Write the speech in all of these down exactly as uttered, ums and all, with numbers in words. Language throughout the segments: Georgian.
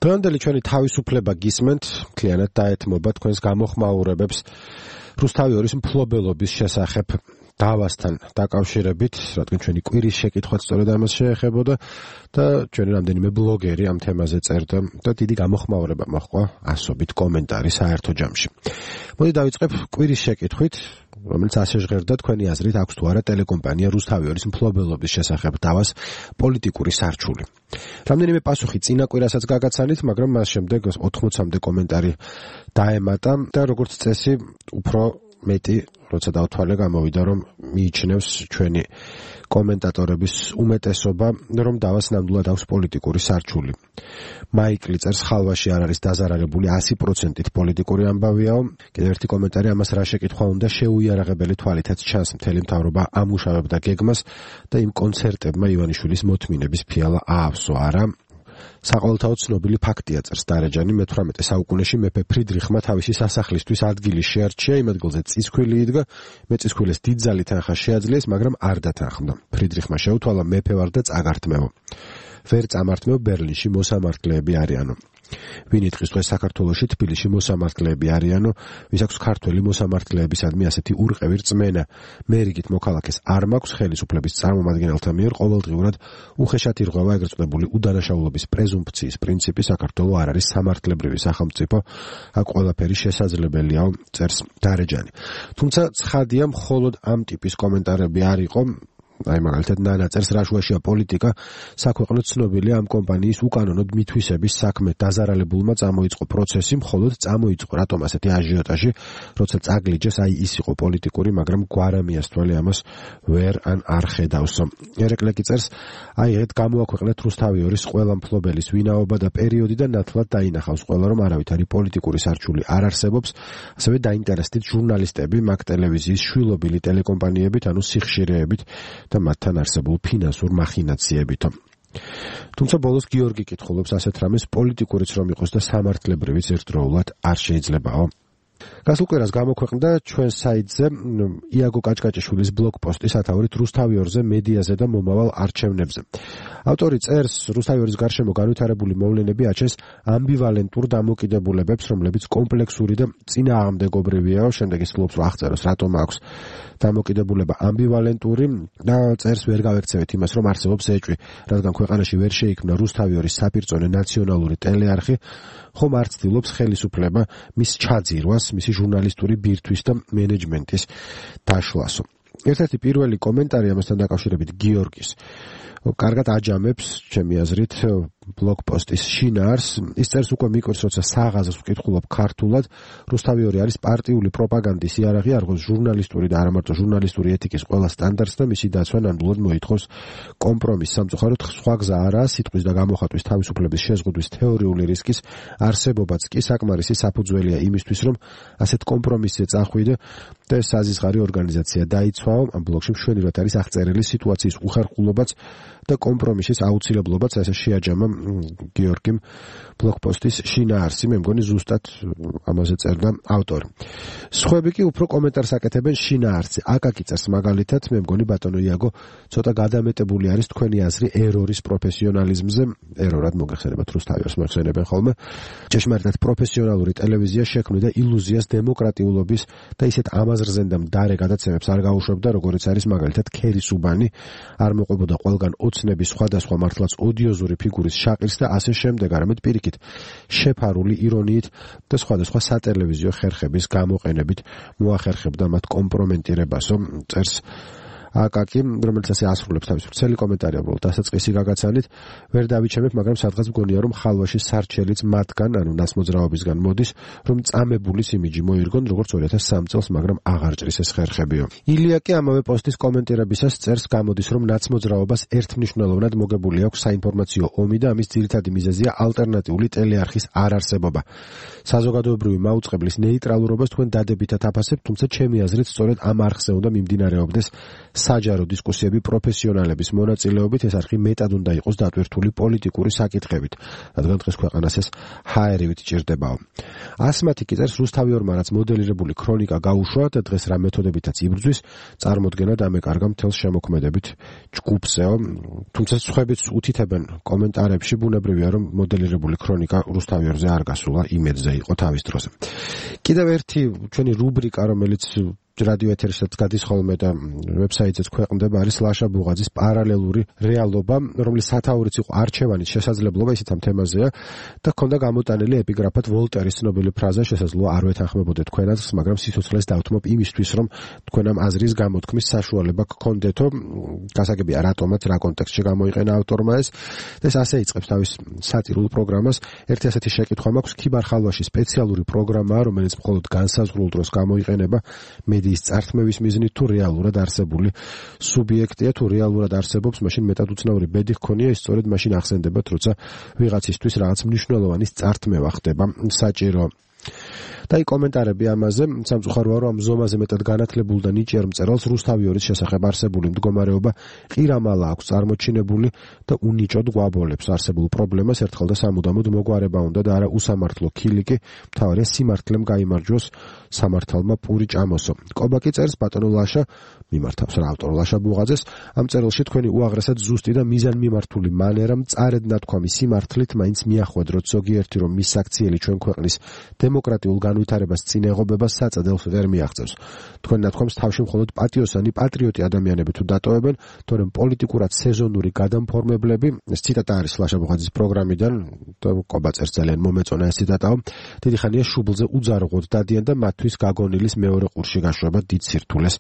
დღევანდელი ჩვენი თავისუფლება გისმენთ, მთლიანად დაეთმობა თქვენს გამოხმაურებებს რუსთავიორის მფლობელობის შესახებ დავასთან დაკავშირებით, რადგან ჩვენი კვირის შეკითხვაც სწორედ ამას შეეხებოდა და ჩვენი რამდენიმე ბლოგერი ამ თემაზე წერდა და დიდი გამოხმაურება მოჰყვა ასობით კომენტარი საერთო ჯამში. მოდი დავიწყებ კვირის შეკითხვით, რომელიც ასე ჟღერდა თქვენი აზრით აქვს თუ არა ტელეკომპანია რუსთავიორის მფლობელობის შესახებ დავას პოლიტიკური სარჩული. რამდენიმე პასუხი წინა კვირასაც გაგაცანით, მაგრამ მას შემდეგ ოთხმოცამდე კომენტარი დაემატა და როგორც წესი უფრო მეტი როცა დავთვალე გამოვიდა რომ მიიჩნევს ჩვენი კომენტატორების უმეტესობა რომ დავას ნამდვილად აქვს პოლიტიკური სარჩული. მაიკლი წერს ხალვაში არ არის დაზარალებული ასი პროცენტით პოლიტიკური ამბავიაო. კიდევ ერთი კომენტარი ამას რა შეკითხვა უნდა შეუიარაღებელი თვალითაც ჩანს მთელი მთავრობა ამუშავებდა გეგმას და იმ კონცერტებმა ივანიშვილის მოთმინების ფიალა აავსო არა. საყოველთაოდ ცნობილი ფაქტია წერს დარეჯანი მეთვრამეტე საუკუნეში მეფე ფრიდრიხმა თავისი სასახლისთვის ადგილი შეარჩია იმ ადგილზე წისქვილი იდგა მეწისქვილეს დიდძალი თანხა შეაძლეს მაგრამ არ დათანხმდა ფრიდრიხმა შეუთვალა მეფე ვარ და წაგართმევო ვერ წამართმევ ბერლინში მოსამართლეები არიანო ვინ იტყვის დღეს საქართველოში თბილისში მოსამართლეები არიანო ვის აქვს ქართველი მოსამართლეებისადმი ასეთი ურყევი რწმენა მე რიგით მოქალაქეს არ მაქვს ხელისუფლების წარმომადგენელთა მიერ ყოველდღიურად უხეშად ირღვევა ეგრეთ წოდებული უდანაშაულობის პრეზუმფციის პრინციპი საქართველო არ არის სამართლებრივი სახელმწიფო აქ ყველაფერი შესაძლებელიაო წერს დარეჯანი თუმცა ცხადია მხოლოდ ამ ტიპის კომენტარები არ იყო აი მაგალითად ნანა წერს რაშუაშია პოლიტიკა საქვეყნო ცნობილია ამ კომპანიის უკანონოდ მითვისების საქმე დაზარალებულმა წამოიწყო პროცესი მხოლოდ წამოიწყო რატომ ასეთი აჟიოტაჟი როცა წაგლიჯეს აი ის იყო პოლიტიკური მაგრამ გვარამიასთველი ამას ვერ ან არ ხედავს ერეკლეკი წერს აი ეგ გამოაქვეყნეთ რუსთავიორის ყველა მფლობელის ვინაობა და პერიოდი და ნათლად დაინახავს ყველა რომ არავითარი პოლიტიკური სარჩული არ არსებობს ასევე დაინტერესდით ჟურნალისტები მაგ ტელევიზიის შვილობილი ტელეკომპანიებით ანუ სიხშირეებით და მათთან არსებულ ფინანსურ მახინაციებითო. თუმცა ბოლოს გიორგი კითხულობს ასეთ რამეს პოლიტიკურიც რომ იყოს და სამართლებრივიც ერთდროულად არ შეიძლებაო. გასულ კვირას გამოქვეყნდა ჩვენ საიტზე იაგო კაჭკაჭიშვილის ბლოგპოსტი სათაურით რუსთავიორზე, მედიაზე და მომავალ არჩევნებზე. ავტორი წერს, რუსთავიორის გარშემო განვითარებული მოვლენები აჩენს ამბივალენტურ დამოკიდებულებებს, რომლებიც კომპლექსური და წინააღმდეგობრივიაო. შემდეგ ის ფლობს რომ აღწეროს, რატომ აქვს დამოკიდებულება ამბივალენტური და წერს ვერ გავექცევით იმას, რომ არსებობს ეჭვი, რადგან ქვეყანაში ვერ შეიქმნა რუსთავიორის საპირწონე ნაციონალური ტელეარხი, ხომ არ ცდილობს ხელისუფლება მის ჩაძირვას, მისი ჟურნალისტური ბირთვის და მენეჯმენტის დაშლასო. ერთ-ერთი პირველი კომენტარი ამასთან დაკავშირებით გიორგის. კარგად აჯამებს, ჩემი აზრით, ბლოგპოსტის შინაარს. ის წერს უკვე მიკვირს, როცა საღაზრს ვკითხულობ ქართულად, რუსთავიორი არის პარტიული პროპაგანდის იარაღი, არღოს ჟურნალისტური და არა მარტო ჟურნალისტური ეთიკის ყველა სტანდარტს და მისი დაცვა ნამდვილად მოითხოვს კომპრომისს. სამწუხაროდ სხვა გზა არაა, სიტყვის და გამოხატვის თავისუფლების შეზღუდვის თეორიული რისკის არსებობაც კი საკმარისი საფუძველია იმისთვის, რომ ასეთ კომპრომისზე წახვიდე და ეს საზისხარი ორგანიზაცია დაიცვაო. ამ ბლოგში მშვენივრად არის აღწერილი სიტუაციის უხერხულობაც და კომპრომისის აუცილებლობაც, ასე შეაჯამა გიორგიმ ბლოგპოსტის შინაარსი, მე მგონი ზუსტად ამაზე წერდა ავტორი. სხვები კი უფრო კომენტარს აკეთებენ შინაარსზე. აკაკი წერს მაგალითად, მე მგონი ბატონო იაგო ცოტა გადამეტებული არის თქვენი აზრი ერორის პროფესიონალიზმზე, ერორად მოგეხსენებათ რუსთავიორს მოიხსენებენ ხოლმე. ჭეშმარიტად პროფესიონალური ტელევიზია შექმნიდა ილუზიას დემოკრატიულობის და ისეთ ამაზრზენ და მდარე გადაცემებს არ გაუშვებდა, როგორიც არის მაგალითად ქერისუბანი, არ მოყვებოდა ყველგან ოცნების სხვადასხვა მართლაც ოდიოზური ფიგურის შაყირს და ასე შემდეგ, არამედ პირიქით შეფარული ირონიით და სხვადასხვა სატელევიზიო ხერხების გამოყენებით მოახერხებდა მათ კომპრომენტირებასო, წერს აკაკი, რომელიც ასე ასრულებს თავის ვრცელი კომენტარი უბრალოდ დასაწყისი გაგაცანით, ვერ დავიჩემებ, მაგრამ სადღაც მგონია რომ ხალვაში სარჩელიც მათგან, ანუ ნაცმოძრაობისგან მოდის, რომ წამებულის იმიჯი მოირგონ, როგორც ორი ათას სამი წელს, მაგრამ აღარ ჭრის ეს ხერხებიო. ილია კი ამავე პოსტის კომენტირებისას წერს, გამოდის, რომ ნაცმოძრაობას ერთმნიშვნელოვნად მოგებული აქვს საინფორმაციო ომი და ამის ძირითადი მიზეზია ალტერნატიული ტელეარხის არარსებობა. საზოგადოებრივი მაუწყებლის ნეიტრალურობას თქვენ დადებითად აფასებთ, თუმცა ჩემი აზრით სწორედ ამ არხზე უნდა მიმდინარეობდეს საჯარო დისკუსიები პროფესიონალების მონაწილეობით, ეს არხი მეტად უნდა იყოს დატვირთული პოლიტიკური საკითხებით, რადგან დღეს ქვეყანას ეს ჰაერივით ჭირდებაო. ასმათი კი წერს, რუსთავიორმა რაც მოდელირებული ქრონიკა გაუშვა და დღეს რა მეთოდებითაც იბრძვის, წარმოდგენა დამეკარგა მთელს შემოქმედებით ჯგუფზეო. თუმცა სხვაებიც უთითებენ კომენტარებში, ბუნებრივია რომ მოდელირებული ქრონიკა რუსთავიორზე არ გასულა, იმედზე იყო თავის დროზე. კიდევ ერთი ჩვენი რუბრიკა, რომელიც რადიო ეთერშიც გადის ხოლმე და ვებსაიტზეც ქვეყნდება, არის ლაშა ბუღაძის პარალელური რეალობა, რომლის სათაურიც იყო არჩევანის შესაძლებლობა, ისიც ამ თემაზეა და ჰქონდა გამოტანილი ეპიგრაფად ვოლტერის ცნობილი ფრაზა, შესაძლოა არ ვეთანხმებოდეთ თქვენაც, მაგრამ სიცოცხლეს დავთმობ იმისთვის, რომ თქვენ ამ აზრის გამოთქმის საშუალება გქონდეთო. გასაგებია რატომაც, რა კონტექსტში გამოიყენა ავტორმა ეს და ეს ასე იწყებს თავის სატირულ პროგრამას. ერთი ასეთი შეკითხვა მაქვს, ქიბარ ხალვაში სპეციალური პროგრამაა, რომელიც მხოლოდ განსაზღვრულ დროს გამოიყენება მედიის წართმევის მიზნით, თუ რეალურად არსებული სუბიექტია, თუ რეალურად არსებობს, მაშინ მეტად უცნაური ბედი ჰქონია, ის სწორედ მაშინ ახსენდებათ, როცა ვიღაცისთვის რაღაც მნიშვნელოვანი წართმევა ხდება საჭირო. და აი კომენტარები ამაზე, სამწუხაროა რომ ამ ზომაზე მეტად განათლებულ და ნიჭიერ მწერალს რუსთავიორის შესახებ არსებული მდგომარეობა ყირამალა აქვს წარმოჩინებული და უნიჭოდ გვაბოლებს არსებულ პრობლემას ერთხელ და სამუდამოდ მოგვარება უნდა და არა უსამართლო ქილიკი, მთავარია სიმართლემ გაიმარჯვოს, სამართალმა პური ჭამოსო. კობაკი წერს, ბატონო ლაშა მიმართავს რა ავტორ ლაშა ბუღაძეს, ამ წერილში თქვენი უაღრესად ზუსტი და მიზანმიმართული მანერა მწარედ ნათქვამი სიმართლით მაინც მიახვედროთ ზოგიერთი რომ მის საქციელი ჩვენ ქვეყნის დემოკრატიულ განვითარებას წინ ეღობება საწადელს ვერ მიაღწევს. თქვენ ნათქვამს თავში მხოლოდ პატიოსანი პატრიოტი ადამიანები თუ დატოვებენ, თორემ პოლიტიკურად სეზონური გადამფორმებლები, ეს ციტატა არის ლაშა ბუღაძის პროგრამიდან და კობაწერს ძალიან მომეწონა ეს ციტატაო. დიდი ხანია შუბლზე უძარღვოდ დადიან და მათთვის გაგონილის მეორე ყურში გაშვება დიდ სირთულეს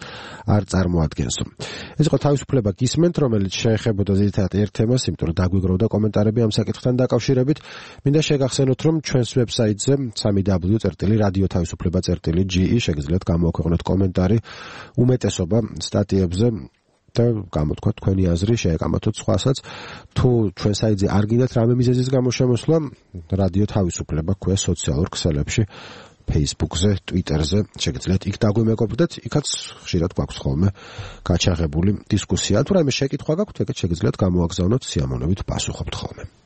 არ წარმოადგენსო. ეს იყო თავისუფლება გისმენთ, რომელიც შეეხებოდა ზედითად ერთ თემას, იმიტომ რომ დაგვიგროვდა კომენტარები ამ საკითხთან დაკავშირებით. მინდა შეგახსენოთ, რომ ჩვენს ვებსაიტზე სამი დაბლიუ წერტილი რადიო თავისუფლება წერტილი ჯი ი შეგიძლიათ გამოაქვეყნოთ კომენტარი უმეტესობა სტატიებზე და გამოთქვა თქვენი აზრი, შეეკამათოთ სხვასაც. თუ ჩვენ საიტზე არ გინდათ რამე მიზეზის გამო შემოსვლა, რადიო თავისუფლება ქვია სოციალურ ქსელებში, Facebook-ზე, Twitter-ზე, შეგიძლიათ იქ დაგვიმეგობრდეთ, იქაც ხშირად გვაქვს ხოლმე გაჩაღებული დისკუსია. თუ რაიმე შეკითხვა გაქვთ, ეგეც შეგიძლიათ გამოაგზავნოთ, სიამოვნებით პასუხობთ ხოლმე.